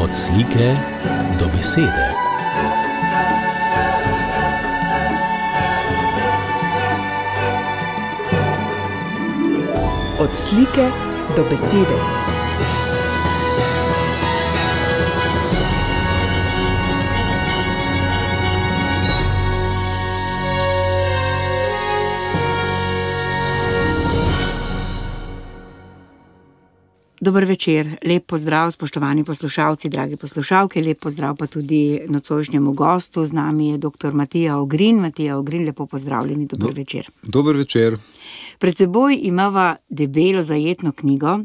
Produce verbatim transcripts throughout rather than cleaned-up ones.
Od slike do besede. Od slike do besede. Dober večer, lep pozdrav, spoštovani poslušalci, dragi poslušalke, lep pozdrav pa tudi nocojšnjemu gostu. Z nami je doktor Matija Ogrin. Matija Ogrin, lepo pozdravljeni, dober Do, večer. Dober večer. Pred seboj imava debelo zajetno knjigo,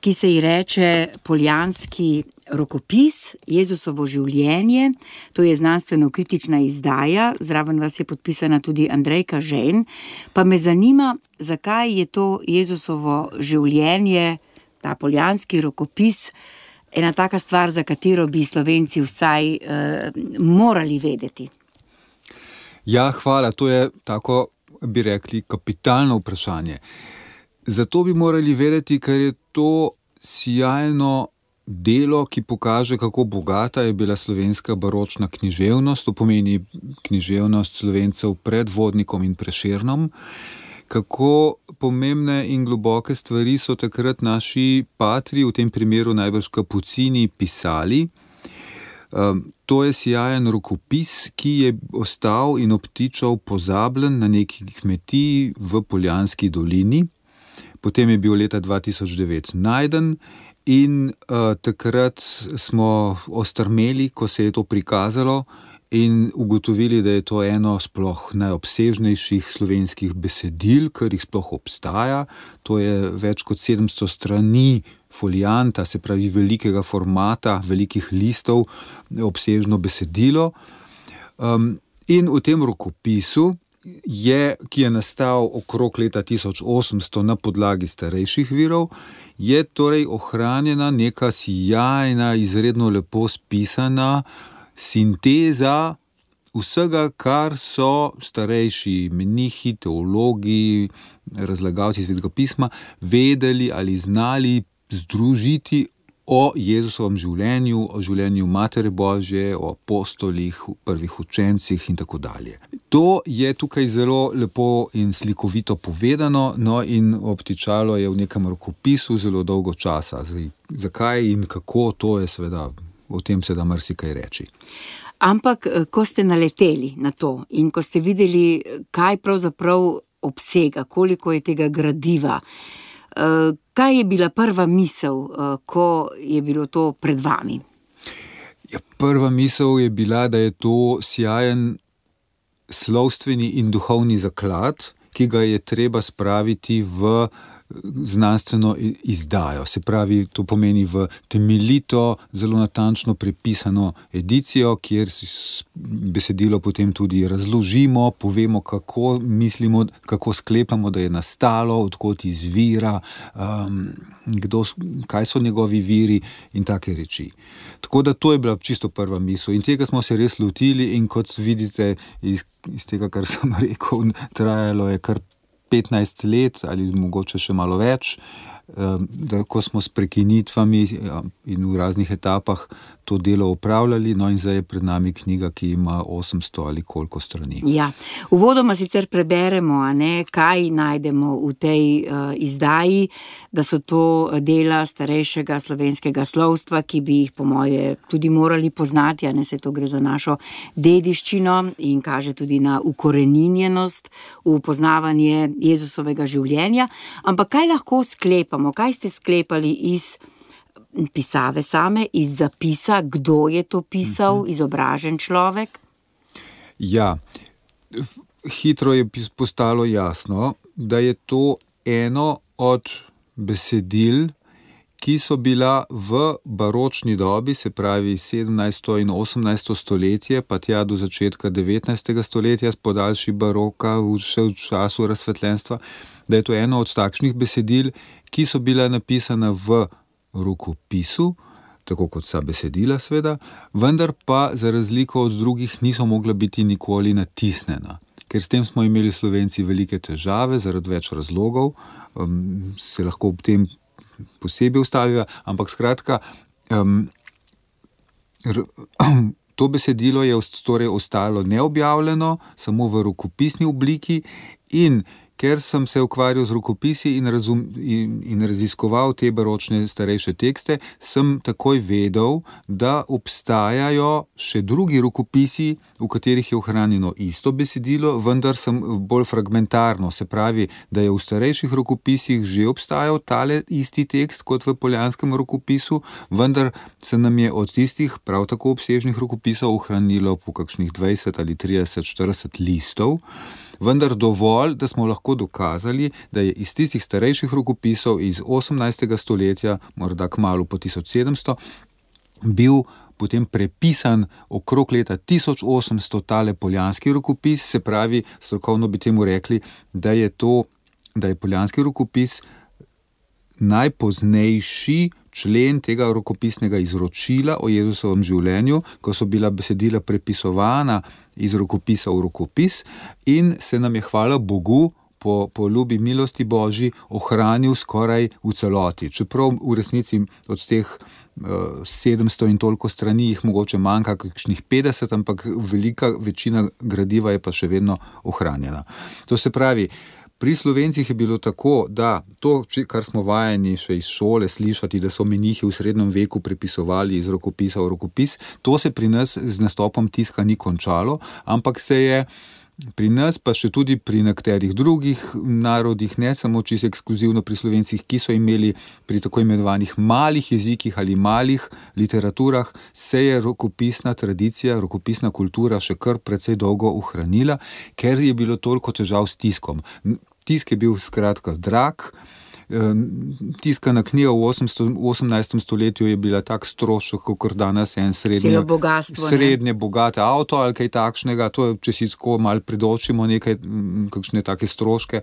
ki se ji reče Poljanski rokopis, Jezusovo življenje. To je znanstveno-kritična izdaja, zraven vas je podpisana tudi Andrejka Žejn. Pa me zanima, zakaj je to Jezusovo življenje, ta Poljanski rokopis, ena taka stvar, za katero bi Slovenci vsaj eh, morali vedeti. Ja, hvala, to je tako, bi rekli, kapitalno vprašanje. Zato bi morali vedeti, ker je to sijajno delo, ki pokaže, kako bogata je bila slovenska baročna književnost, to pomeni književnost Slovencev pred Vodnikom in Prešernom. Kako pomembne in globoke stvari so takrat naši patri, v tem primeru najbrž Kapucini, pisali. Um, to je sijajen rokopis, ki je ostal in obtičal pozabljen na neki kmetiji v Poljanski dolini. Potem je bil leta dva tisoč devet najden in uh, takrat smo ostrmeli, ko se je to prikazalo, in ugotovili, da je to eno sploh najobsežnejših slovenskih besedil, kar jih sploh obstaja. To je več kot sedemsto strani folianta, se pravi velikega formata, velikih listov, obsežno besedilo. Um, in v tem rokopisu, je, ki je nastal okrog leta tisoč osemsto na podlagi starejših virov, je torej ohranjena neka sijajna, izredno lepo spisana sinteza vsega, kar so starejši menihi, teologi, razlagalci Svetega pisma vedeli ali znali združiti o Jezusovem življenju, o življenju Matere Božje, o apostolih, prvih učencih in tako dalje. To je tukaj zelo lepo in slikovito povedano, no in obtičalo je v nekem rokopisu zelo dolgo časa. Zdaj, zakaj in kako, to je seveda, o tem se da marsikaj reči. Ampak, ko ste naleteli na to in ko ste videli, kaj pravzaprav obsega, koliko je tega gradiva, kaj je bila prva misel, ko je bilo to pred vami? Ja, prva misel je bila, da je to sijajen slovstveni in duhovni zaklad, ki ga je treba spraviti v znanstveno izdajo. Se pravi, to pomeni v temeljito, zelo natančno prepisano edicijo, kjer besedilo potem tudi razložimo, povemo, kako mislimo, kako sklepamo, da je nastalo, odkot izvira, um, kdo, kaj so njegovi viri in take reči. Tako da to je bila čisto prva misel in tega smo se res lotili in kot vidite iz, iz tega, kar sem rekel, trajalo je kar petnajst let ali mogoče še malo več, da ko smo s prekinitvami in v raznih etapah to delo opravljali, no in zdaj je pred nami knjiga, ki ima osemsto ali koliko strani. Ja, uvodoma sicer preberemo, a ne, kaj najdemo v tej uh, izdaji, da so to dela starejšega slovenskega slovstva, ki bi jih po moje tudi morali poznati, a ne, se to gre za našo dediščino in kaže tudi na ukoreninjenost, v poznavanje Jezusovega življenja. Ampak kaj lahko sklepamo? Kaj ste sklepali iz pisave same, iz zapisa, kdo je to pisal, izobražen človek? Ja, hitro je postalo jasno, da je to eno od besedil, ki so bila v baročni dobi, se pravi sedemnajsto in osemnajsto stoletje, pa tja do začetka devetnajstega stoletja s podaljši baroka, še v času razsvetljenstva, da je to eno od takšnih besedil, ki so bila napisana v rokopisu, tako kot vsa besedila sveda, vendar pa za razliko od drugih niso mogla biti nikoli natisnjena. Ker s tem smo imeli Slovenci velike težave zaradi več razlogov, um, se lahko ob tem posebej ustavijo, ampak skratka, um, To besedilo je torej ostalo neobjavljeno, samo v rokopisni obliki, in ker sem se ukvarjal z rokopisi in, razum, in, in raziskoval te baročne starejše tekste, sem takoj vedel, da obstajajo še drugi rokopisi, v katerih je ohranjeno isto besedilo, vendar sem bolj fragmentarno, se pravi, da je v starejših rokopisih že obstajal tale isti tekst kot v poljanskem rokopisu, vendar se nam je od tistih prav tako obsežnih rokopisov ohranilo po kakšnih dvajset ali trideset, štirideset listov, vendar dovolj, da smo lahko dokazali, da je iz tistih starejših rokopisov iz osemnajstega stoletja, morda kmalu po tisoč sedemsto, bil potem prepisan okrog leta tisoč osemsto tale poljanski rokopis, se pravi, strokovno bi temu rekli, da je to, da je poljanski rokopis najpoznejši člen tega rokopisnega izročila o Jezusovem življenju, ko so bila besedila prepisovana iz rokopisa v rokopis in se nam je, hvala Bogu, po, po ljubi milosti Božji ohranil skoraj v celoti. Čeprav v resnici od teh uh, sedemsto in toliko strani jih mogoče manjka kakšnih petdeset, ampak velika večina gradiva je pa še vedno ohranjena. To se pravi, pri Slovencih je bilo tako, da to, kar smo vajeni še iz šole slišati, da so menihi v srednjem veku prepisovali iz rokopisa v rokopis, to se pri nas z nastopom tiska ni končalo, ampak se je pri nas, pa še tudi pri nekaterih drugih narodih, ne samo čisto ekskluzivno pri Slovencih, ki so imeli pri tako imenovanih malih jezikih ali malih literaturah, se je rokopisna tradicija, rokopisna kultura še kar precej dolgo ohranila, ker je bilo toliko težav s tiskom. Tisk je bil skratka drag, tiskana knjiga v osemnajstem stoletju je bila tak strošek, kot danes en srednje, bogatstvo, srednje bogate avto ali kaj takšnega, to je, če si tako malo pridočimo nekaj, kakšne take stroške,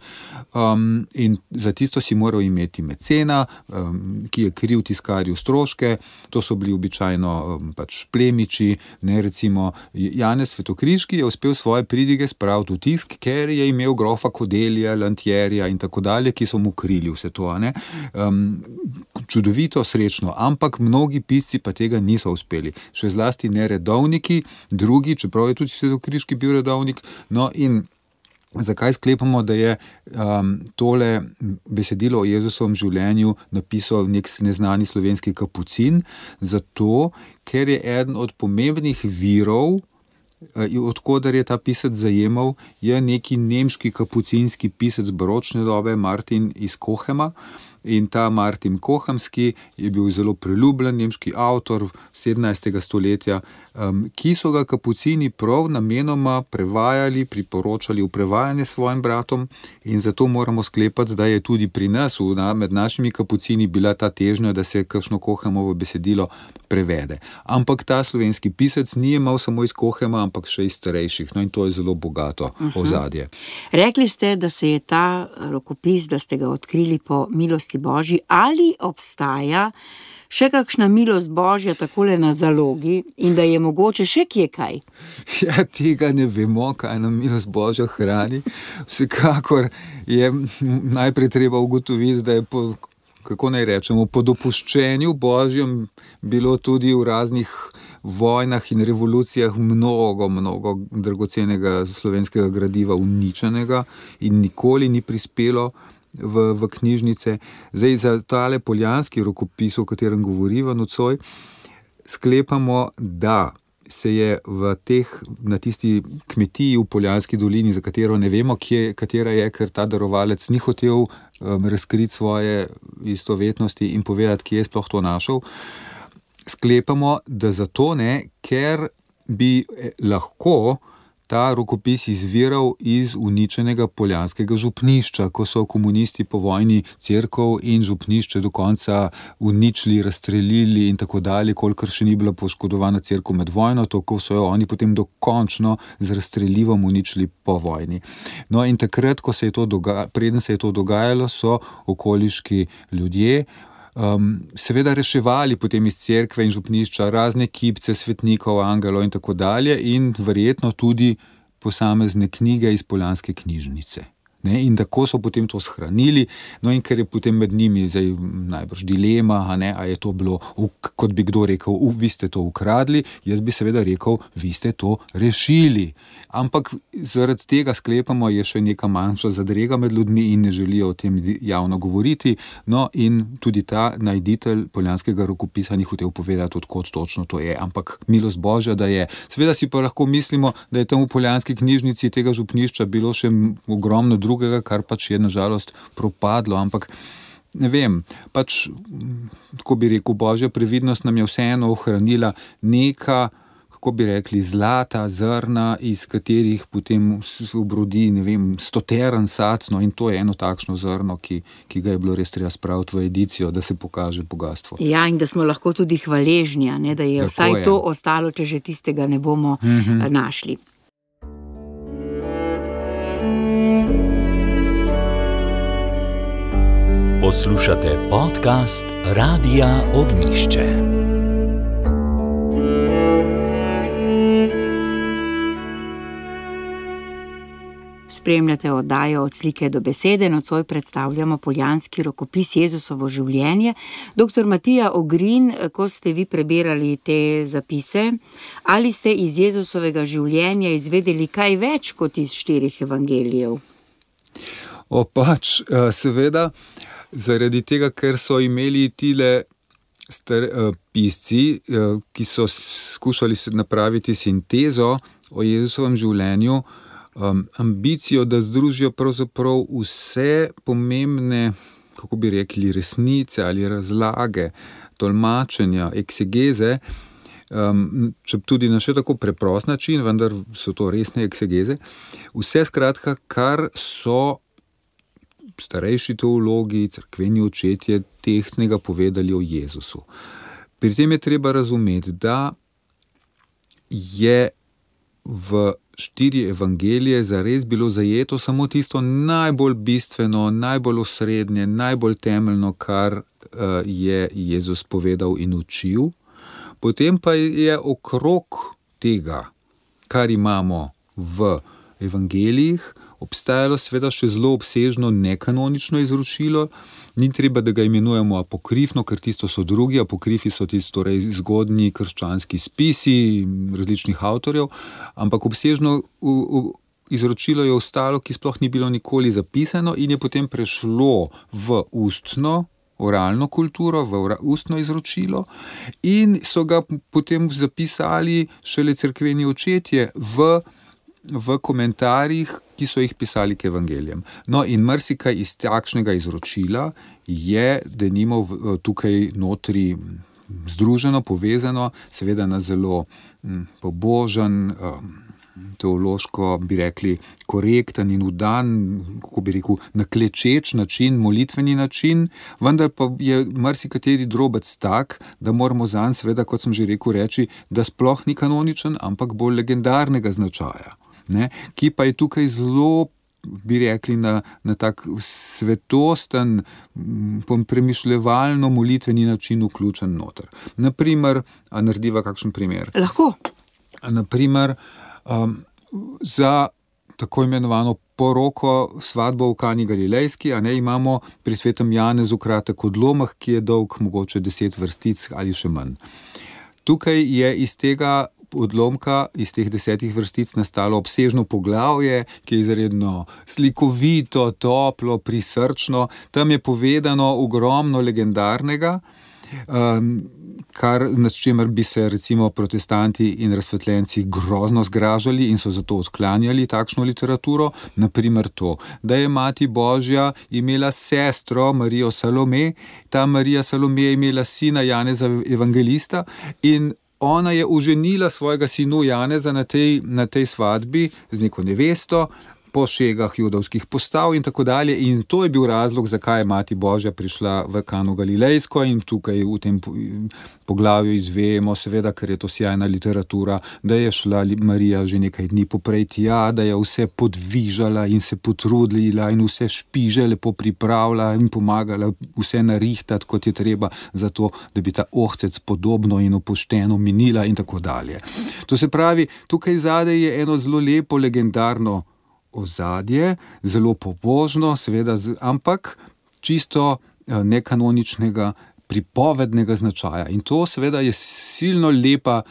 um, in za tisto si moral imeti mecena, um, ki je kril tiskarju stroške, to so bili običajno um, pač plemiči, ne, recimo Janez Svetokriški je uspel svoje pridige spraviti v tisk, ker je imel grofa Kodelija, Lantjerja in tako dalje, ki so mu krili vse to. Um, čudovito, srečno, ampak mnogi pisci pa tega niso uspeli. Še zlasti ne redovniki, drugi, čeprav je tudi Svetokriški bil redovnik, no in zakaj sklepamo, da je um, tole besedilo o Jezusovem življenju napisal nek neznani slovenski kapucin? Zato, ker je eden od pomembnih virov, odkudar je ta pisec zajemal, je neki nemški kapucinski pisec baročne dobe, Martin iz Kohema. In ta Martin Kohamski je bil zelo priljubljen nemški avtor sedemnajstega stoletja, um, ki so ga kapucini prav namenoma prevajali, priporočali v prevajanje svojim bratom, in zato moramo sklepati, da je tudi pri nas, v, na, med našimi kapucini, bila ta težnja, da se kakšno Kohemovo besedilo prevede. Ampak ta slovenski pisec ni imel samo iz Kohema, ampak še iz starejših, no in to je zelo bogato uh-huh. ozadje. Rekli ste, da se je ta rokopis, da ste ga odkrili po milosti Božji, ali obstaja še kakšna milost Božja takole na zalogi in da je mogoče še kje kaj? Ja, tega ne vemo, kaj nam milost Božja hrani. Vsekakor je najprej treba ugotoviti, da je po, kako naj rečemo, po dopuščenju Božjem bilo tudi v raznih vojnah in revolucijah mnogo, mnogo dragocenega slovenskega gradiva uničenega in nikoli ni prispelo V, v knjižnice. Zdaj za tale poljanski rokopis, o katerem govoriva nocoj, sklepamo, da se je v teh, na tisti kmetiji v Poljanski dolini, za katero ne vemo, kje, katera je, ker ta darovalec ni hotel um, razkriti svoje istovetnosti in povedati, kje je sploh to našel, sklepamo, da zato ne, ker bi lahko ta rokopis izviral iz uničenega poljanskega župnišča, ko so komunisti po vojni cerkev in župnišče do konca uničili, razstrelili in tako dalje, kolikor še ni bila poškodovana cerkev med vojno, tako so jo oni potem dokončno z razstrelivom uničili po vojni. No in takrat, ko se je to doga- preden se je to dogajalo, so okoliški ljudje Um, seveda reševali potem iz cerkve in župnišča razne kipce, svetnikov, angelov in tako dalje in verjetno tudi posamezne knjige iz poljanske knjižnice. Ne, in tako so potem to shranili, no in ker je potem med njimi zdaj najbrž dilema, a ne, a je to bilo, kot bi kdo rekel, vi ste to ukradli, jaz bi seveda rekel, vi ste to rešili. Ampak zaradi tega sklepamo, je še neka manjša zadrega med ljudmi in ne želijo o tem javno govoriti, no in tudi ta najditelj Poljanskega rokopisa ni hotel povedati, odkot točno to je, ampak milost Božja, da je. Seveda si pa lahko mislimo, da je tam v Poljanski knjižnici tega župnišča bilo še ogromno drugega, kar pač je nažalost propadlo, ampak ne vem, pač, kako bi rekel, Božja previdnost nam je vseeno ohranila neka, kako bi rekli, zlata zrna, iz katerih potem obrodi, ne vem, stoteren sad, no in to je eno takšno zrno, ki, ki ga je bilo res treba spraviti v edicijo, da se pokaže bogatstvo. Ja, in da smo lahko tudi hvaležni, ne, da je Tako vsaj je. to ostalo, če že tistega ne bomo Mhm. našli. Poslušate podcast Radia Ognjišče. Spremljate oddajo Od slike do besede, nocoj predstavljamo Poljanski rokopis Jezusovo življenje. Doktor Matija Ogrin, ko ste vi prebirali te zapise, ali ste iz Jezusovega življenja izvedeli kaj več kot iz štirih evangelijev? O pač, seveda, zaradi tega, ker so imeli tile star, pisci, ki so skušali napraviti sintezo o Jezusovem življenju, Um, ambicijo, da združijo pravzaprav vse pomembne, kako bi rekli, resnice ali razlage, tolmačenja, eksegeze, um, če tudi na še tako preprost način, vendar so to resne eksegeze, vse skratka, kar so starejši teologi, cerkveni očetje tehtnega povedali o Jezusu. Pri tem je treba razumeti, da je v štiri evangelije zares bilo zajeto samo tisto najbolj bistveno, najbolj osrednje, najbolj temeljno, kar uh, je Jezus povedal in učil. Potem pa je okrog tega, kar imamo v evangelijih, obstajalo seveda še zelo obsežno nekanonično izročilo. Ni treba, da ga imenujemo apokrifno, ker tisto so drugi, apokrifi so tisto torej zgodnji krščanski spisi različnih avtorjev, ampak obsežno v, v, izročilo je ostalo, ki sploh ni bilo nikoli zapisano in je potem prešlo v ustno, oralno kulturo, v ustno izročilo in so ga potem zapisali šele cerkveni očetje v v komentarjih, ki so jih pisali k evangelijem. No in marsikaj iz takšnega izročila je denimo tukaj notri združeno, povezano, seveda na zelo pobožen, teološko, bi rekli, korekten in vdan, kako bi rekel, naklečeč način, molitveni način, vendar pa je marsikateri drobec tak, da moramo zanj seveda, kot sem že rekel, reči, da sploh ni kanoničen, ampak bolj legendarnega značaja. Ne, ki pa je tukaj zelo, bi rekli, na, na tak svetosten, premišljevalno molitveni način vključen noter. Naprimer, a narediva kakšen primer? Lahko. Naprimer, um, za tako imenovano poroko, svadbo v Kani Galilejski, a ne, imamo pri svetem Janezu kratek odlomek, ki je dolg mogoče deset vrstic ali še manj. Tukaj je iz tega odlomka, iz teh desetih vrstic nastalo obsežno poglavje, ki je izredno slikovito, toplo, prisrčno. Tam je povedano ogromno legendarnega, um, kar, nad čemer bi se recimo protestanti in razsvetljenci grozno zgražali in so zato odklanjali takšno literaturo. Naprimer to, da je Mati Božja imela sestro Marijo Salome, ta Marija Salome je imela sina Janeza evangelista in ona je oženila svojega sinu Janeza na tej, na tej svadbi z neko nevesto, po šegah judovskih postav in tako dalje. In to je bil razlog, zakaj je Mati Božja prišla v Kano Galilejsko in tukaj v tem poglavju izvemo, seveda, ker je to sjajna literatura, da je šla Marija že nekaj dni poprej tja, da je vse podvižala in se potrudila in vse špiže lepo pripravila in pomagala vse narihtati, kot je treba, zato, da bi ta ohcec podobno in opošteno minila in tako dalje. To se pravi, tukaj zadaj je eno zelo lepo legendarno ozadje, zelo pobožno, seveda, ampak čisto nekanoničnega, pripovednega značaja. In to seveda je silno lepa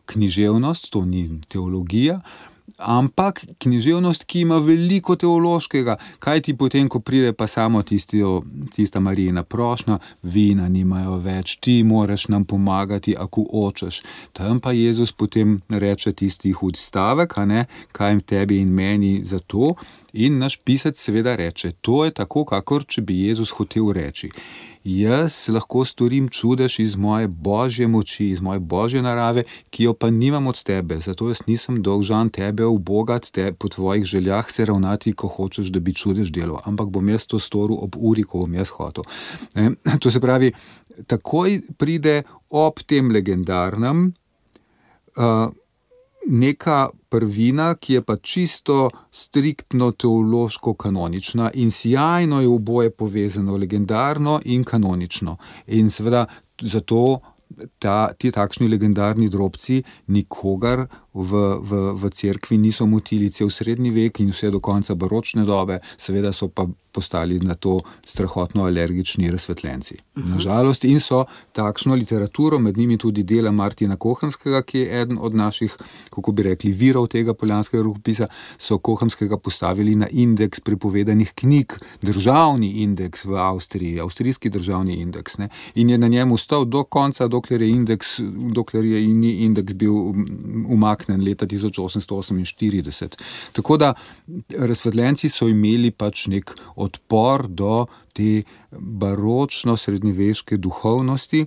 književnost, to ni teologija, ampak književnost, ki ima veliko teološkega. Kaj ti potem, ko pride pa samo tisto, tista Marijina prošnja, vina nimajo več, ti moraš nam pomagati, ako hočeš. Tam pa Jezus potem reče tisti hud stavek, a ne, kaj tebi in meni za to. In naš pisec seveda reče, to je tako, kakor če bi Jezus hotel reči. Jaz lahko storim čudež iz moje božje moči, iz moje božje narave, ki jo pa nimam od tebe, zato jaz nisem dolžan tebe ubogat, te po tvojih željah se ravnati, ko hočeš, da bi čudež delal, ampak bom jaz to storil ob uri, ko bom jaz hotel. E, to se pravi, takoj pride ob tem legendarnem uh, neka prvina, ki je pa čisto striktno teološko kanonična in sjajno je oboje povezano, legendarno in kanonično. In seveda zato ta, ti takšni legendarni drobci nikogar v, v, v cerkvi niso motili cel srednji vek in vse do konca baročne dobe, seveda so pa postali na to strahotno alergični razsvetljenci. Uh-huh. Nažalost, in so takšno literaturo, med njimi tudi dela Martina Kohamskega, ki je eden od naših, kako bi rekli, virov tega poljanskega rokopisa, so Kohamskega postavili na indeks prepovedanih knjig, državni indeks v Avstriji, avstrijski državni indeks, ne? In je na njem ostal do konca, dokler je indeks, dokler je indeks bil umaknen leta tisoč osemsto oseminštirideset. Tako da razsvetljenci so imeli pač nek odpor do te baročno srednjeveške duhovnosti,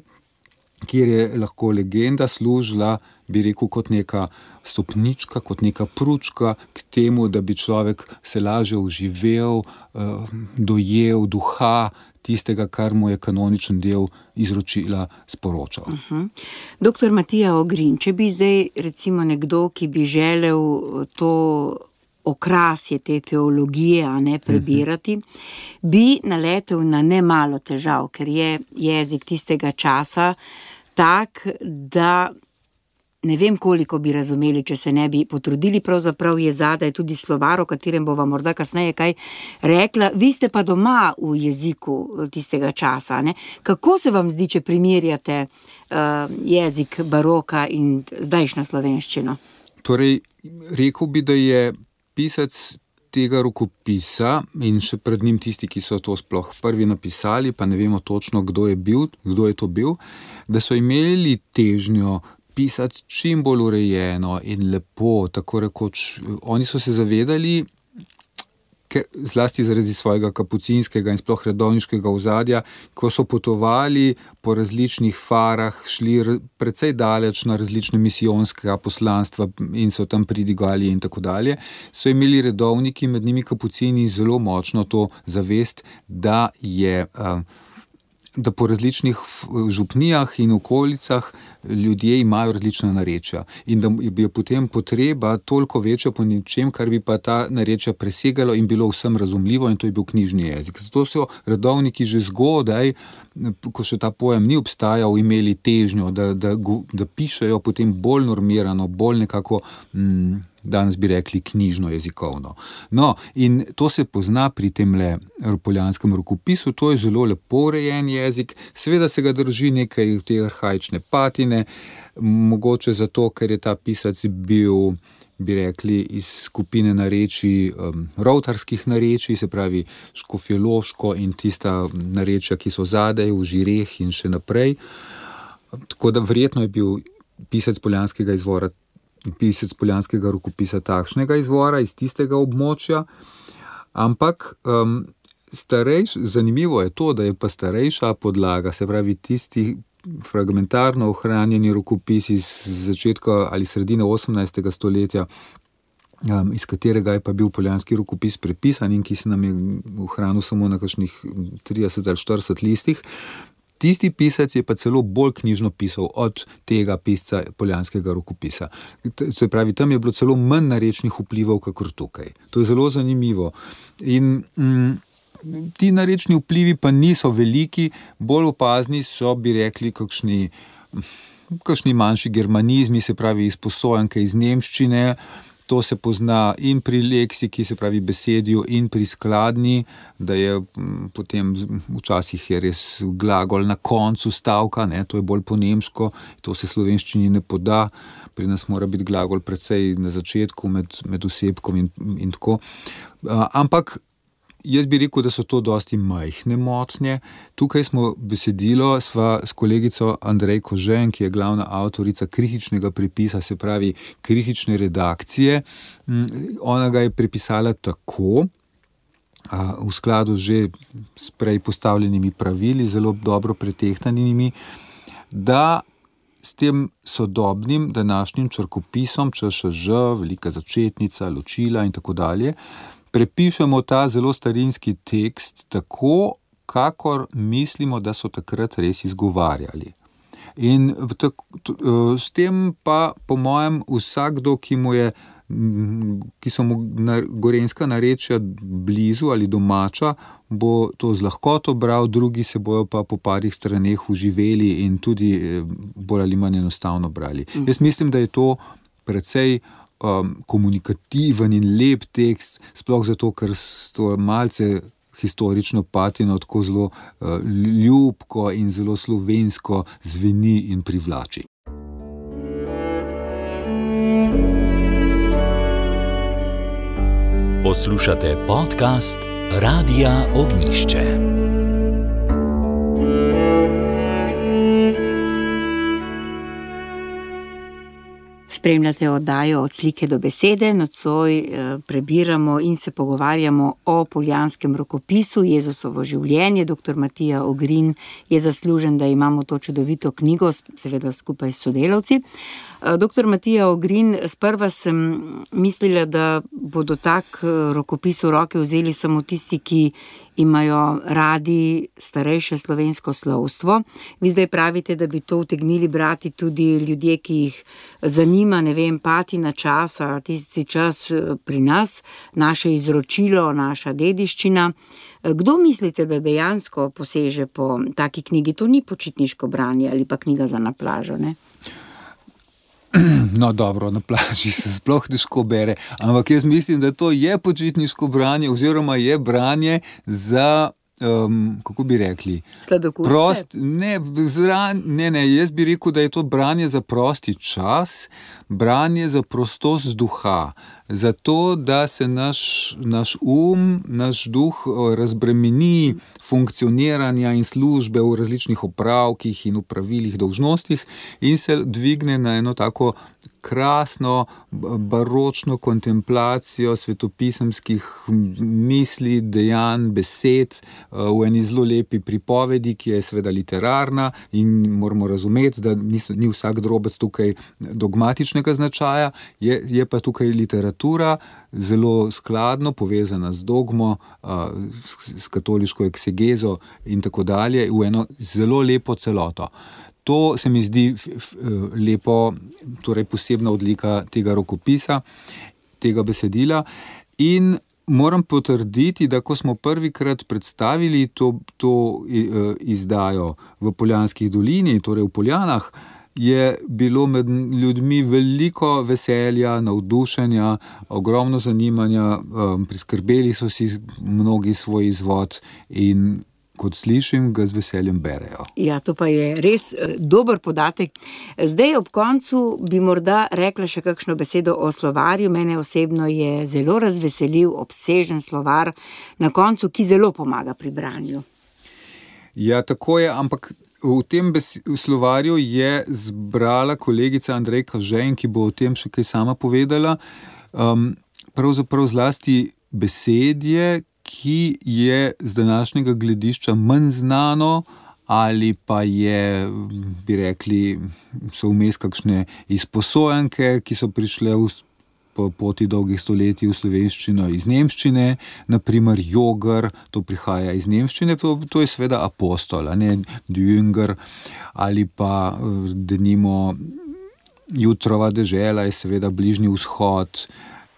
kjer je lahko legenda služila, bi rekel, kot neka stopnička, kot neka pručka k temu, da bi človek se lažje uživel, dojel duha tistega, kar mu je kanoničen del izročila sporočal. Uh-huh. Doktor Matija Ogrin, če bi zdaj recimo nekdo, ki bi želel to okrasje te teologije, a ne prebirati, uh-huh. bi naletel na nemalo težav, ker je jezik tistega časa tak, da ne vem, koliko bi razumeli, če se ne bi potrudili. Pravzaprav je zadaj tudi slovar, o katerem bova morda kasneje kaj rekla. Vi ste pa doma v jeziku tistega časa, ne? Kako se vam zdi, če primerjate uh, jezik baroka in zdajšnjo slovenščino? Torej, rekel bi, da je pisec tega rokopisa in še pred njim tisti, ki so to sploh prvi napisali, pa ne vemo točno, kdo je bil, kdo je to bil, da so imeli težnjo pisati čim bolj urejeno in lepo, tako rekoč. Oni so se zavedali, ker, zlasti zaradi svojega kapucinskega in sploh redovniškega ozadja, ko so potovali po različnih farah, šli precej daleč na različne misijonska poslanstva in so tam pridigali in tako dalje, so imeli redovniki, med njimi kapucini, zelo močno to zavest, da je uh, da po različnih župnijah in okolicah ljudje imajo različna narečja in da je potem potreba toliko večja po ničem, kar bi pa ta narečja presegalo in bilo vsem razumljivo, in to je bil knjižni jezik. Zato so redovniki že zgodaj, ko še ta pojem ni obstajal, imeli težnjo, da, da, da pišejo potem bolj normirano, bolj nekako mm, danes bi rekli knjižno jezikovno. No, in to se pozna pri temle poljanskem rokopisu, to je zelo lepo urejen jezik, seveda se ga drži nekaj te arhaične patine, mogoče zato, ker je ta pisac bil, bi rekli, iz skupine narečij, um, rovtarskih narečij, se pravi škofjeloško in tista narečja, ki so zadaj v žireh in še naprej. Tako da verjetno je bil pisec poljanskega izvora pisec poljanskega rokopisa takšnega izvora, iz tistega območja, ampak um, starejš, zanimivo je to, da je pa starejša podlaga, se pravi tisti fragmentarno ohranjeni rokopisi iz začetka ali sredine osemnajstega stoletja, um, iz katerega je pa bil poljanski rokopis prepisan in ki se nam je ohranil samo na kakšnih trideset ali štirideset listih. Tisti pisec je pa celo bolj knjižno pisal od tega pisca poljanskega rokopisa. Se pravi, tam je bilo celo manj narečnih vplivov, kakor tukaj. To je zelo zanimivo. In mm, ti narečni vplivi pa niso veliki, bolj opazni so, bi rekli, kakšni, kakšni manjši germanizmi, se pravi izposojanke iz nemščine, To se pozna in pri leksiki, se pravi besedju, in pri skladni, da je potem včasih je res glagol na koncu stavka, ne, to je bolj po nemško, to se slovenščini ne poda, pri nas mora biti glagol precej na začetku med, med osebkom in, in tako. Ampak jaz bi rekel, da so to dosti majhne motnje. Tukaj smo besedilo, sva s kolegico Andrejko Žen, ki je glavna avtorica kritičnega prepisa, se pravi kritične redakcije. Ona ga je prepisala tako, v skladu že s prej postavljenimi pravili, zelo dobro pretehtanimi, da s tem sodobnim današnjim črkopisom, ČŠŽ, velika začetnica, ločila in tako dalje, prepišemo ta zelo starinski tekst tako, kakor mislimo, da so takrat res izgovarjali. In tako, s tem pa, po mojem, vsakdo, ki mu je, ki so mu gorenjska narečja blizu ali domača, bo to z lahkoto bral, drugi se bojo pa po parih straneh uživeli in tudi bolj ali manj enostavno brali. Mm. Jaz mislim, da je to precej Um, komunikativen in lep tekst, sploh zato, ker to malce historično patino tako zelo uh, ljubko in zelo slovensko zveni in privlači. Poslušate podcast Radia Ognjišče. Spremljate oddajo Od slike do besede, nocoj prebiramo in se pogovarjamo o poljanskem rokopisu Jezusovo življenje. Doktor Matija Ogrin je zaslužen, da imamo to čudovito knjigo, seveda skupaj s sodelavci. Doktor Matija Ogrin, sprva sem mislila, da bodo tak rokopis v roke vzeli samo tisti, ki imajo radi starejše slovensko slovstvo. Vi zdaj pravite, da bi to utegnili brati tudi ljudje, ki jih zanima, ne vem, patina časa, tisti čas pri nas, naše izročilo, naša dediščina. Kdo mislite, da dejansko poseže po taki knjigi? To ni počitniško branje ali pa knjiga za na plažo, ne? No, dobro, na plaži se sploh težko bere, ampak jaz mislim, da to je počitniško branje oziroma je branje za, um, kako bi rekli? Sladokusce? Prost, ne, zra, ne, ne, jaz bi rekel, da je to branje za prosti čas, branje za prostost duha, zato, da se naš, naš um, naš duh razbremeni funkcioniranja in službe v različnih opravkih in upravilih, dolžnostih in se dvigne na eno tako krasno, baročno kontemplacijo svetopisemskih misli, dejanj, besed v eni zelo lepi pripovedi, ki je seveda literarna in moramo razumeti, da ni, ni vsak drobec tukaj dogmatičnega značaja, je, je pa tukaj literatura zelo skladno povezana z dogmo, s katoliško eksegezo in tako dalje, v eno zelo lepo celoto. To se mi zdi lepo, torej posebna odlika tega rokopisa, tega besedila. In moram potrditi, da ko smo prvikrat predstavili to, to izdajo v Poljanskih dolini, torej v Poljanah, je bilo med ljudmi veliko veselja, navdušenja, ogromno zanimanja, priskrbeli so si mnogi svoj izvod in kot slišim, ga z veseljem berejo. Ja, to pa je res dober podatek. Zdaj ob koncu bi morda rekla še kakšno besedo o slovarju. Mene osebno je zelo razveselil obsežen slovar na koncu, ki zelo pomaga pri branju. Ja, tako je, ampak v tem bes- v slovarju je zbrala kolegica Andrejka Žen, ki bo o tem še kaj sama povedala, um, pravzaprav zlasti besedje, ki je z današnjega gledišča manj znano ali pa je, bi rekli, so vmes kakšne izposojanke, ki so prišle v, po poti dolgih stoletij v slovenščino iz nemščine, naprimer Jogar, to prihaja iz nemščine, to, to je seveda apostol, a ne Jünger, ali pa denimo Jutrova dežela je seveda Bližnji vzhod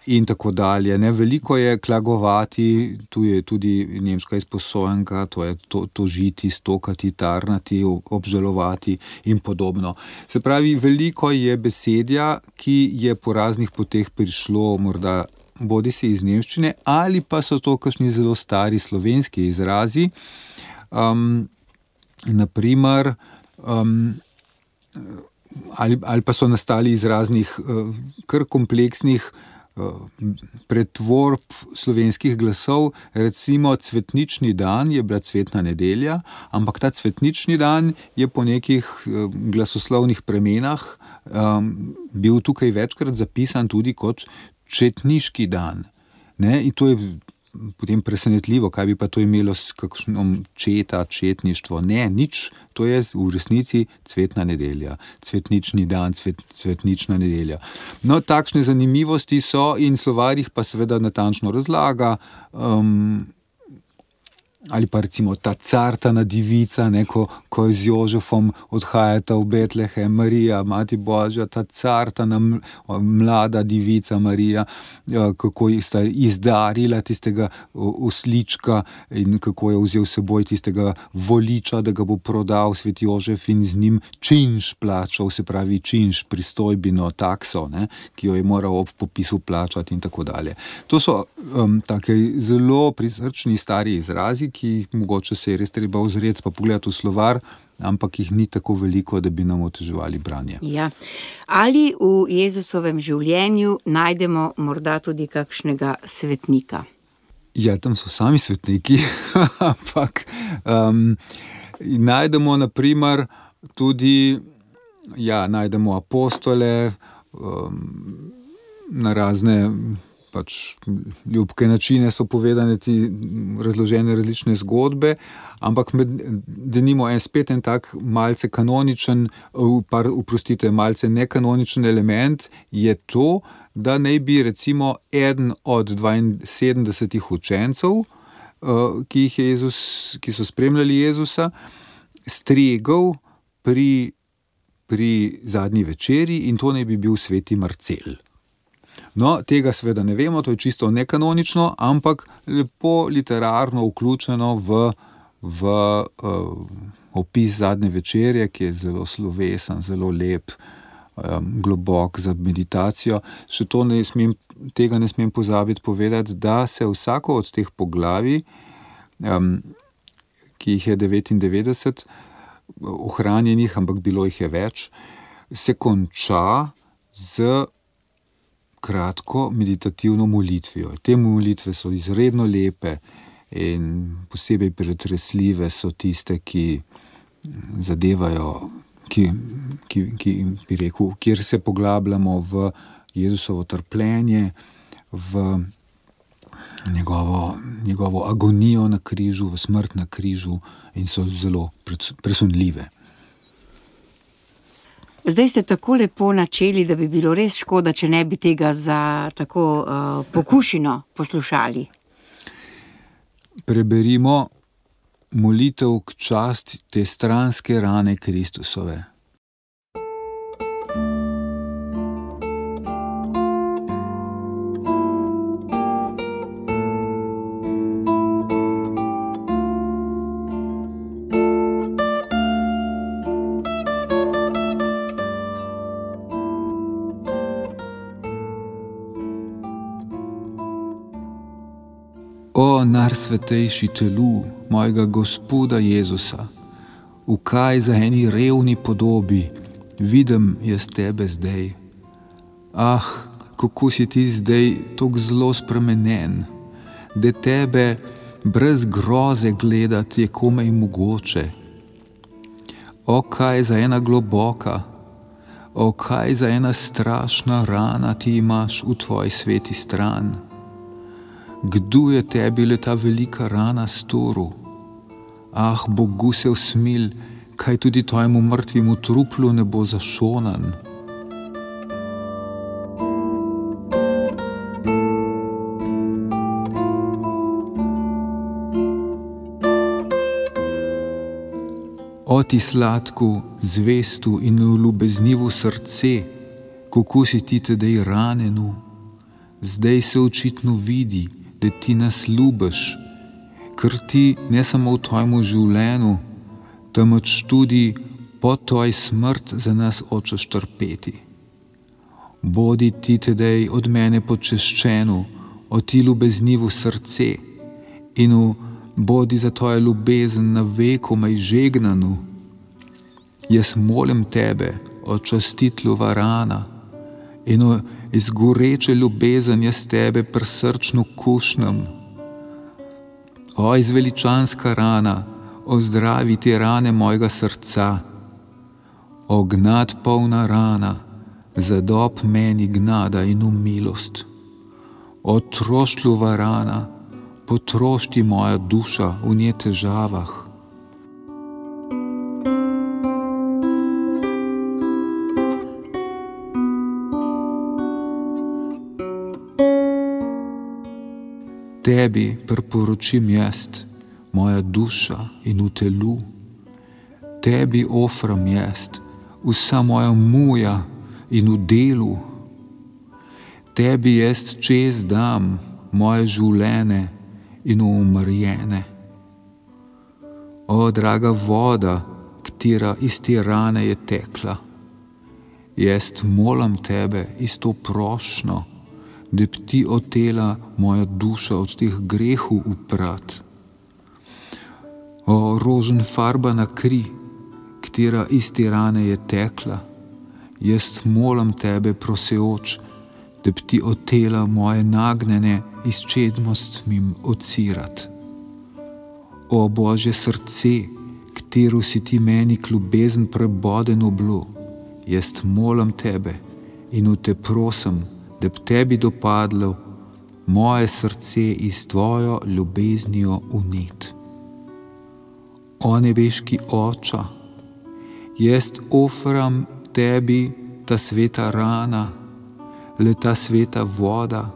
in tako dalje. Ne, veliko je klagovati, tu je tudi nemška izposojenka, to je to, tožiti, stokati, tarnati, obžalovati in podobno. Se pravi, veliko je besedja, ki je po raznih poteh prišlo morda bodi si iz nemščine, ali pa so to kakšni zelo stari slovenski izrazi. Um, naprimer, um, ali, ali pa so nastali iz raznih uh, kar kompleksnih pretvorb slovenskih glasov. Recimo cvetnični dan je bila cvetna nedelja, ampak ta cvetnični dan je po nekih glasoslovnih premenah um, bil tukaj večkrat zapisan tudi kot četniški dan. Ne? In to je potem presenetljivo, kaj bi pa to imelo s kakšnom četa, četništvo. Ne, nič, to je v resnici cvetna nedelja, cvetnični dan, cvet, cvetnična nedelja. No, takšne zanimivosti so in slovar jih pa seveda natančno razlaga, um, ali pa recimo ta cartana divica, ne, ko, ko z Jožefom odhajata v Betlehem, Marija, Mati Božja, ta cartana mlada divica Marija, kako sta izdarila tistega oslička in kako je vzel seboj tistega voliča, da ga bo prodal Sveti Jožef in z njim činš plačal, se pravi činš, pristojbino, takso, ne, ki jo je moral ob popisu plačati in tako dalje. To so um, take zelo prisrčni stari izrazi, ki jih mogoče se je res treba ozreti pa pogledati v slovar, ampak jih ni tako veliko, da bi nam oteževali branje. Ja. Ali v Jezusovem življenju najdemo morda tudi kakšnega svetnika? Ja, tam so sami svetniki, ampak um, najdemo naprimer tudi, ja, najdemo apostole, um, na razne pač ljubke načine so povedane ti razložene različne zgodbe, ampak med, denimo en spet en tak malce kanoničen, par, uprostite, malce nekanoničen element je to, da naj bi recimo eden od dvainsedemdesetih učencev, ki jih je Jezus, ki so spremljali Jezusa, stregel pri, pri zadnji večeri in to naj bi bil sveti Marcel. No, tega seveda ne vemo, to je čisto nekanonično, ampak lepo literarno vključeno v, v uh, opis zadnje večerje, ki je zelo slovesen, zelo lep, um, globok za meditacijo. Še to ne smem, tega ne smem pozabiti povedati, da se vsako od teh poglavij, um, ki jih je devetindevetdeset ohranjenih, ampak bilo jih je več, se konča z kratko meditativno molitvijo. Te molitve so izredno lepe in posebej pretresljive so tiste, ki zadevajo, ki, ki, ki bi rekel, kjer se poglabljamo v Jezusovo trpljenje, v njegovo, njegovo agonijo na križu, v smrt na križu in so zelo presunljive. Zdaj ste tako lepo načeli, da bi bilo res škoda, če ne bi tega za tako uh, pokušino poslušali. Preberimo molitev k časti te stranske rane Kristusove. O najsvetejši telu mojega Gospoda Jezusa, v kaj za eni revni podobi vidim jaz tebe zdaj. Ah, kako si ti zdaj tako zelo spremenjen, da tebe brez groze gledati je komaj mogoče. O kaj za ena globoka, o kaj za ena strašna rana ti imaš v tvoji sveti stran. Kdo je tebi le ta velika rana storil? Ah, Bogu se usmil, kaj tudi tvojemu mrtvemu truplu ne bo zašonan. O ti sladku, zvestu in ljubeznivu srce, kako si ti tedej ranenu, zdaj se očitno vidi, da ti nas ljubiš, ker ti ne samo v tvojemu življenju, temveč tudi po tvoj smrt za nas hočeš trpeti. Bodi ti tedaj od mene počeščeno, o ti ljubeznivo srce in bodi za tvojo ljubezen na veku maj žegnanu. Jaz molim tebe, o častitlu varana, in o izgoreče ljubezen jaz tebe prsrčno kušnem. O izveličanska rana, o zdravi ti rane mojega srca, o gnad polna rana, zadob meni gnada in umilost. O troštljiva rana, potrošti moja duša v nje težavah. Tebi priporočim jaz, moja duša in v telu. Tebi ofram jaz, vsa moja muja in v delu. Tebi jaz čez dam moje življenje in umrjene. O, draga voda, katera iz te rane je tekla, jaz molim tebe isto prošnjo, da bi ti otela moja duša od teh grehov uprat. O, roženfarbana kri, katera iz te rane je tekla, jaz molim tebe proseoč, da bi ti otela moje nagnjene izčednostmim ocirat. O, Božje srce, katero si ti meni k ljubezen prebodeno bilo, jaz molim tebe in v te prosim, da bi tebi dopadlo moje srce iz tvojo ljubeznijo unet. O, nebeški Oče, jaz ofram tebi ta sveta rana, le ta sveta voda,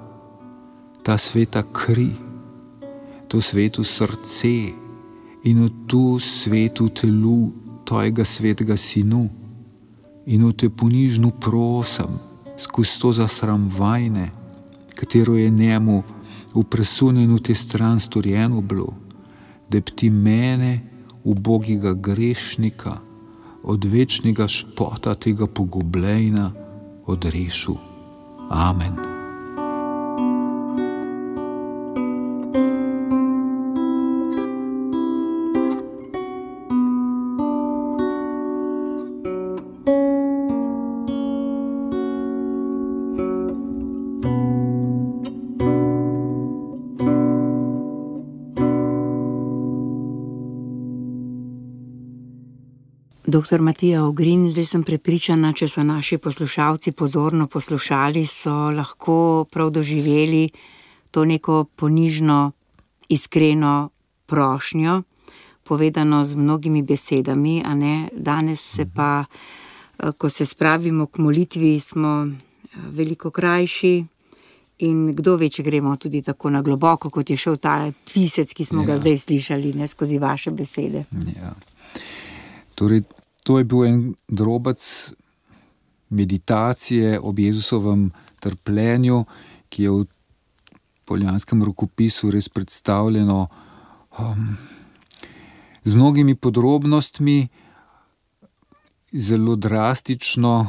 ta sveta kri, to sveto srce in v tu svetu telu tvojega svetega sinu in v te ponižno prosim, skozi to zasramvajne, katero je njemu v presunjenu te stran storjeno bilo, da bi ti mene, ubogega grešnika, od večnega špota tega pogubljenja odrešil. Amen. Doktor Matija Ogrin, zdaj sem prepričana, če so naši poslušalci pozorno poslušali, so lahko prav doživeli to neko ponižno, iskreno prošnjo, povedano z mnogimi besedami, a ne? Danes se pa, ko se spravimo k molitvi, smo veliko krajši in kdo ve, če gremo tudi tako na globoko, kot je šel ta pisec, ki smo ja. ga zdaj slišali, ne, skozi vaše besede. Ja. Torej, to je bil en drobec meditacije ob Jezusovem trpljenju, ki je v poljanskem rokopisu res predstavljeno um, z mnogimi podrobnostmi, zelo drastično,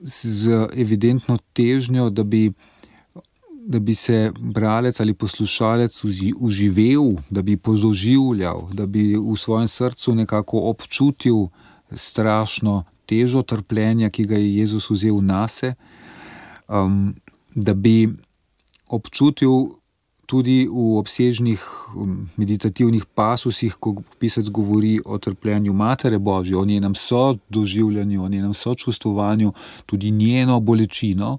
z evidentno težnjo, da bi, da bi se bralec ali poslušalec uživel, da bi pozoživljal, da bi v svojem srcu nekako občutil strašno težo trpljenja, ki ga je Jezus vzel nase, um, da bi občutil tudi v obsežnih meditativnih pasusih, ko pisec govori o trpljenju Matere Božje, o njenem sodoživljanju, o njenem sočustvovanju, tudi njeno bolečino,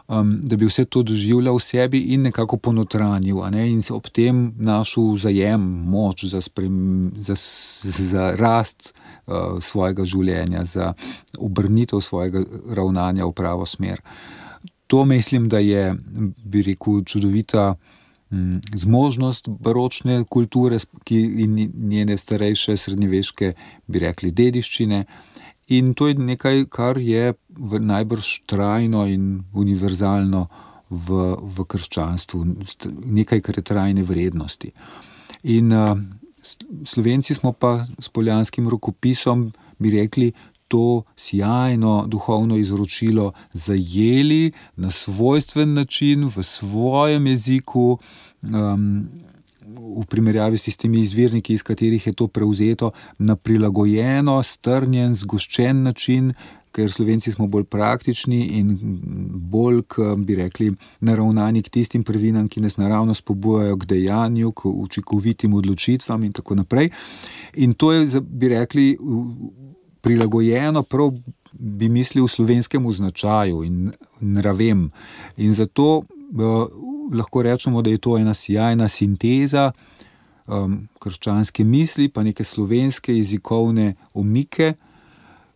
um, da bi vse to doživljal v sebi in nekako ponotranil, a ne, in se ob tem našel zajem, moč za, sprem, za, za rast uh, svojega življenja, za obrnitev svojega ravnanja v pravo smer. To mislim, da je, bi rekel, čudovita zmožnost baročne kulture ki in njene starejše srednjeveške, bi rekli, dediščine. In to je nekaj, kar je najbrž trajno in univerzalno v, v krščanstvu, nekaj, kar je trajne vrednosti. In uh, Slovenci smo pa s poljanskim rokopisom, bi rekli, to sjajno duhovno izročilo zajeli na svojstven način, v svojem jeziku, um, v primerjavi s tistimi izvirniki, iz katerih je to prevzeto, na prilagojeno, strnjen, zgoščen način, ker Slovenci smo bolj praktični in bolj, bi rekli, naravnani k tistim prvinam, ki nas naravno spodbujajo k dejanju, k učinkovitim odločitvam in tako naprej. In to je, bi rekli, prilagojeno prav, bi mislil, slovenskemu značaju in nravem. In zato uh, lahko rečemo, da je to ena sjajna sinteza um, krščanske misli, pa neke slovenske jezikovne omike,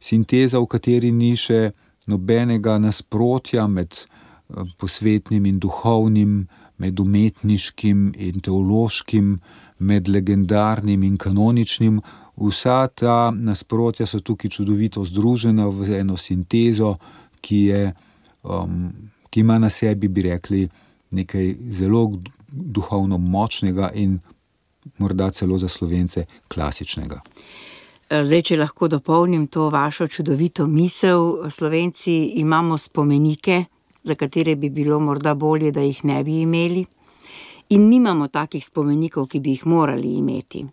sinteza, v kateri ni še nobenega nasprotja med um, posvetnim in duhovnim, med umetniškim in teološkim, med legendarnim in kanoničnim. Vsa ta nasprotja so tukaj čudovito združena v eno sintezo, ki je, um, ki ima na sebi, bi rekli, nekaj zelo duhovno močnega in morda celo za Slovence klasičnega. Zdaj, če lahko dopolnim to vašo čudovito misel, Slovenci imamo spomenike, za katere bi bilo morda bolje, da jih ne bi imeli, in nimamo takih spomenikov, ki bi jih morali imeti.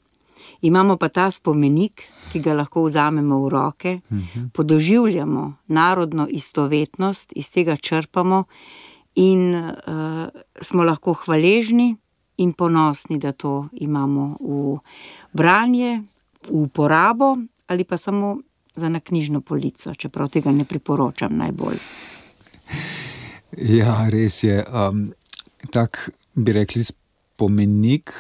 Imamo pa ta spomenik, ki ga lahko vzamemo v roke, uh-huh. podoživljamo narodno istovetnost, iz tega črpamo in uh, smo lahko hvaležni in ponosni, da to imamo v branje, v uporabo ali pa samo za na knjižno polico, čeprav tega ne priporočam najbolj. Ja, res je. Um, tak, bi rekli, spomenik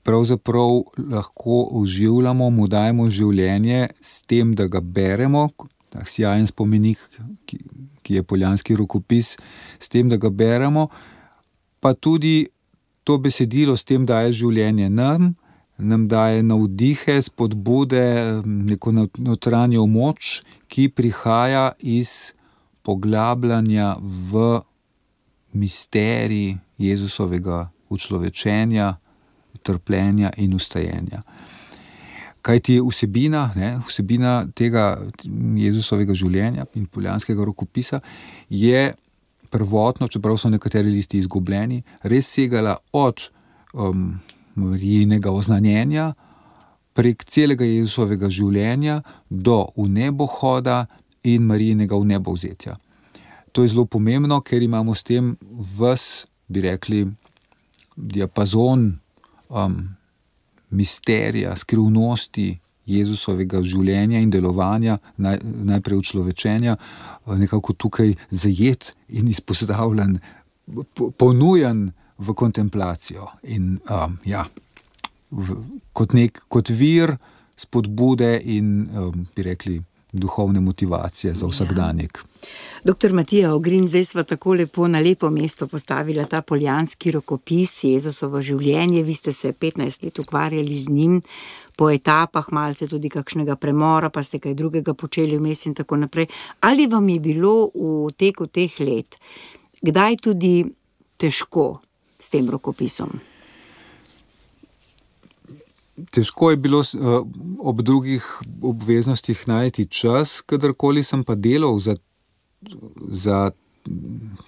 pravzaprav lahko oživljamo, mu dajemo življenje s tem, da ga beremo, tak sjajen spomenik, ki, ki je poljanski rokopis, s tem, da ga beremo, pa tudi to besedilo s tem daje življenje nam, nam daje navdihe, spodbude, neko notranjo moč, ki prihaja iz poglabljanja v misterij Jezusovega učlovečenja, trpljenja in ustajenja. Kajti vsebina, ne, vsebina tega Jezusovega življenja in poljanskega rokopisa je prvotno, čeprav so nekateri listi izgubljeni, res segala od um, Marijinega oznanjenja prek celega Jezusovega življenja do vnebohoda in Marijinega vnebovzetja. To je zelo pomembno, ker imamo s tem ves, bi rekli, diapazon um, misterija, skrivnosti Jezusovega življenja in delovanja, naj, najprej učlovečenja, nekako tukaj zajet in izpostavljen, ponujen v kontemplacijo in um, ja, v, kot, nek, kot vir spodbude in, um, bi rekli, duhovne motivacije za vsakdanjik. Ja. Doktor Matija Ogrin, zdaj sva tako lepo na lepo mesto postavila ta poljanski rokopis, Jezusovo življenje, vi ste se petnajst let ukvarjali z njim, po etapah, malce tudi kakšnega premora, pa ste kaj drugega počeli vmes in tako naprej. Ali vam je bilo v teku teh let kdaj tudi težko s tem rokopisom? Težko je bilo uh, ob drugih obveznostih najti čas, kadarkoli sem pa delal za, za,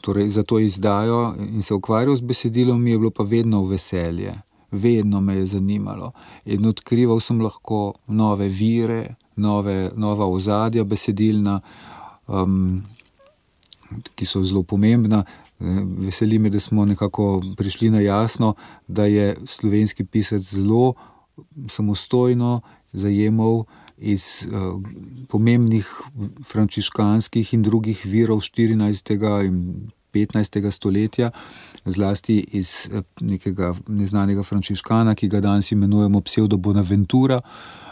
torej za to izdajo in se ukvarjal z besedilom, mi je bilo pa vedno veselje. Vedno me je zanimalo in odkrival sem lahko nove vire, nove, nova ozadja besedilna, um, ki so zelo pomembna. Veseli me, da smo nekako prišli na jasno, da je slovenski pisec zelo samostojno zajemal iz uh, pomembnih frančiškanskih in drugih virov štirinajstega in petnajstega stoletja, zlasti iz uh, nekega neznanega frančiškana, ki ga danes imenujemo pseudo Bonaventura,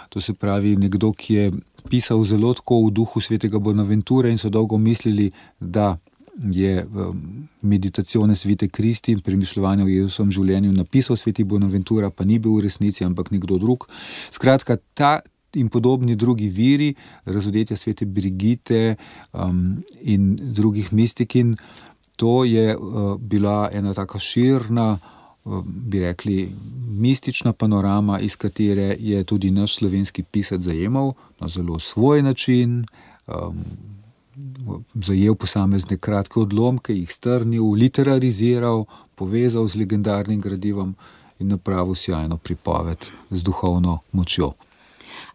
to se pravi nekdo, ki je pisal zelo tako v duhu svetega Bonaventure in so dolgo mislili, da je um, meditacione svete Kristi in premišljevanje o Jezusovem življenju napisal sveti Bonaventura, pa ni bil v resnici, ampak nekdo drug. Skratka, ta in podobni drugi viri, razodetja svete Brigite um, in drugih mistikin, to je uh, bila ena taka širna, uh, bi rekli, mistična panorama, iz katere je tudi naš slovenski pisec zajemal na zelo svoj način, um, zajel posamezne kratke odlomke, jih strnil, literariziral, povezal z legendarnim gradivom in napravil sjajno pripoved z duhovno močjo.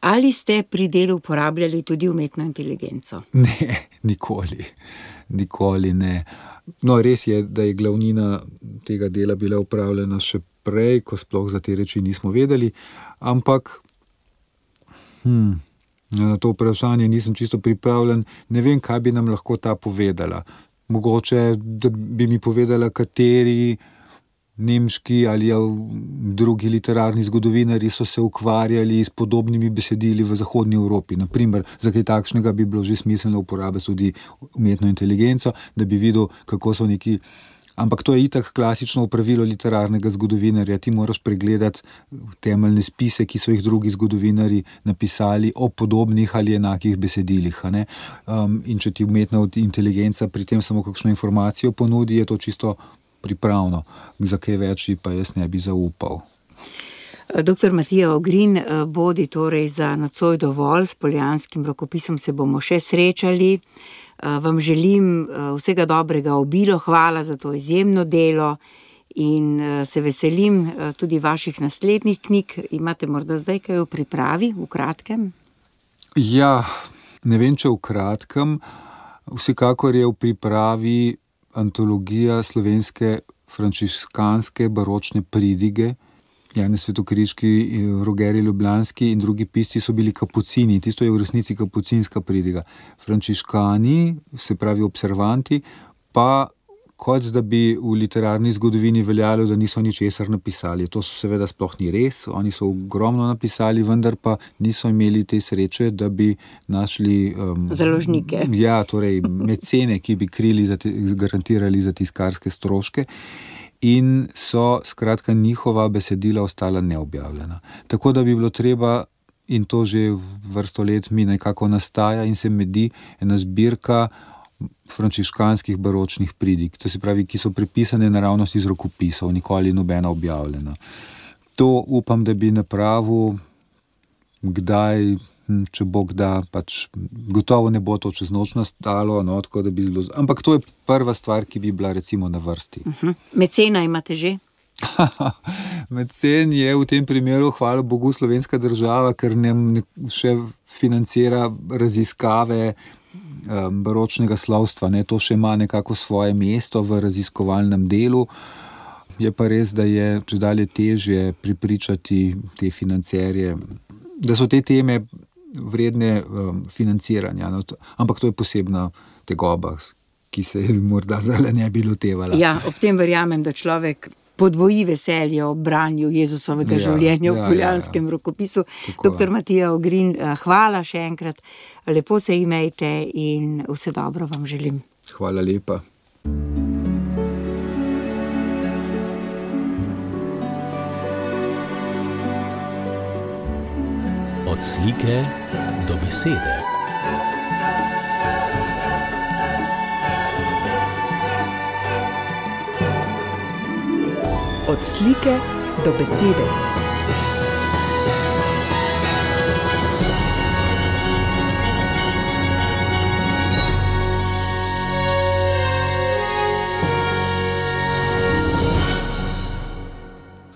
Ali ste pri delu uporabljali tudi umetno inteligenco? Ne, nikoli. Nikoli ne. No, res je, da je glavnina tega dela bila upravljena še prej, ko sploh za te reči nismo vedeli, ampak hm, na to vprašanje nisem čisto pripravljen. Ne vem, kaj bi nam lahko ta povedala. Mogoče, da bi mi povedala, kateri nemški ali drugi literarni zgodovinarji so se ukvarjali s podobnimi besedili v zahodni Evropi. Naprimer, za kaj takšnega bi bilo že smiselno uporabiti tudi umetno inteligenco, da bi videl, kako so neki... Ampak to je itak klasično pravilo literarnega zgodovinarja. Ti moraš pregledati temeljne spise, ki so jih drugi zgodovinarji napisali o podobnih ali enakih besedilih. A ne? Um, in če ti umetna inteligenca pri tem samo kakšno informacijo ponudi, je to čisto pripravno. Za kaj več pa jaz ne bi zaupal. Doktor Matija Ogrin, bodi torej za nocoj dovolj, s Poljanskim rokopisom se bomo še srečali. Vam želim vsega dobrega obilo, hvala za to izjemno delo in se veselim tudi vaših naslednjih knjig. Imate morda zdaj kaj v pripravi, v kratkem? Ja, ne vem, če v kratkem. Vsekakor je v pripravi antologija slovenske frančiškanske baročne pridige. Janez Svetokriški, Rogerij Ljubljanski in drugi pisci so bili kapucini. Tisto je v resnici kapucinska pridiga. Frančiškani, se pravi observanti, pa kot da bi v literarni zgodovini veljalo, da niso ničesar napisali. To seveda sploh ni res. Oni so ogromno napisali, vendar pa niso imeli te sreče, da bi našli... Um, Založnike. Ja, torej mecene, ki bi krili, za te, garantirali za tiskarske stroške. In so, skratka, njihova besedila ostala neobjavljena. Tako da bi bilo treba, in to že vrsto let mi nekako nastaja in se medi, ena zbirka frančiškanskih baročnih pridig, to se pravi, ki so prepisane naravnost iz rokopisov, nikoli nobena objavljena. To upam, da bi napravil kdaj, če Bog da, pač gotovo ne bo to čez noč nastalo, no, tako da bi zelo... Ampak to je prva stvar, ki bi bila recimo na vrsti. Uh-huh. Mecena imate že? Mecen je v tem primeru, hvala Bogu, slovenska država, ker nam še financira raziskave um, baročnega slovstva. Ne? To še ima nekako svoje mesto v raziskovalnem delu. Je pa res, da je čedalje težje pripričati te financerje, da so te teme vredne um, financiranja. No, to, ampak to je posebna tegoba, ki se morda zdaj ne bi lotevala. Ja, ob tem verjamem, da človek podvoji veselje ob branju Jezusovega ja, življenja v ja, Poljanskem ja, ja. rokopisu. Tako. Doktor Matija Ogrin, hvala še enkrat, lepo se imejte in vse dobro vam želim. Hvala lepa. Od slike do besede. Od slike do besede.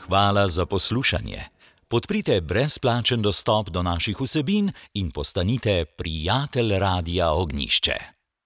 Hvala za poslušanje. Podprite brezplačen dostop do naših vsebin in postanite prijatelj Radia Ognjišče.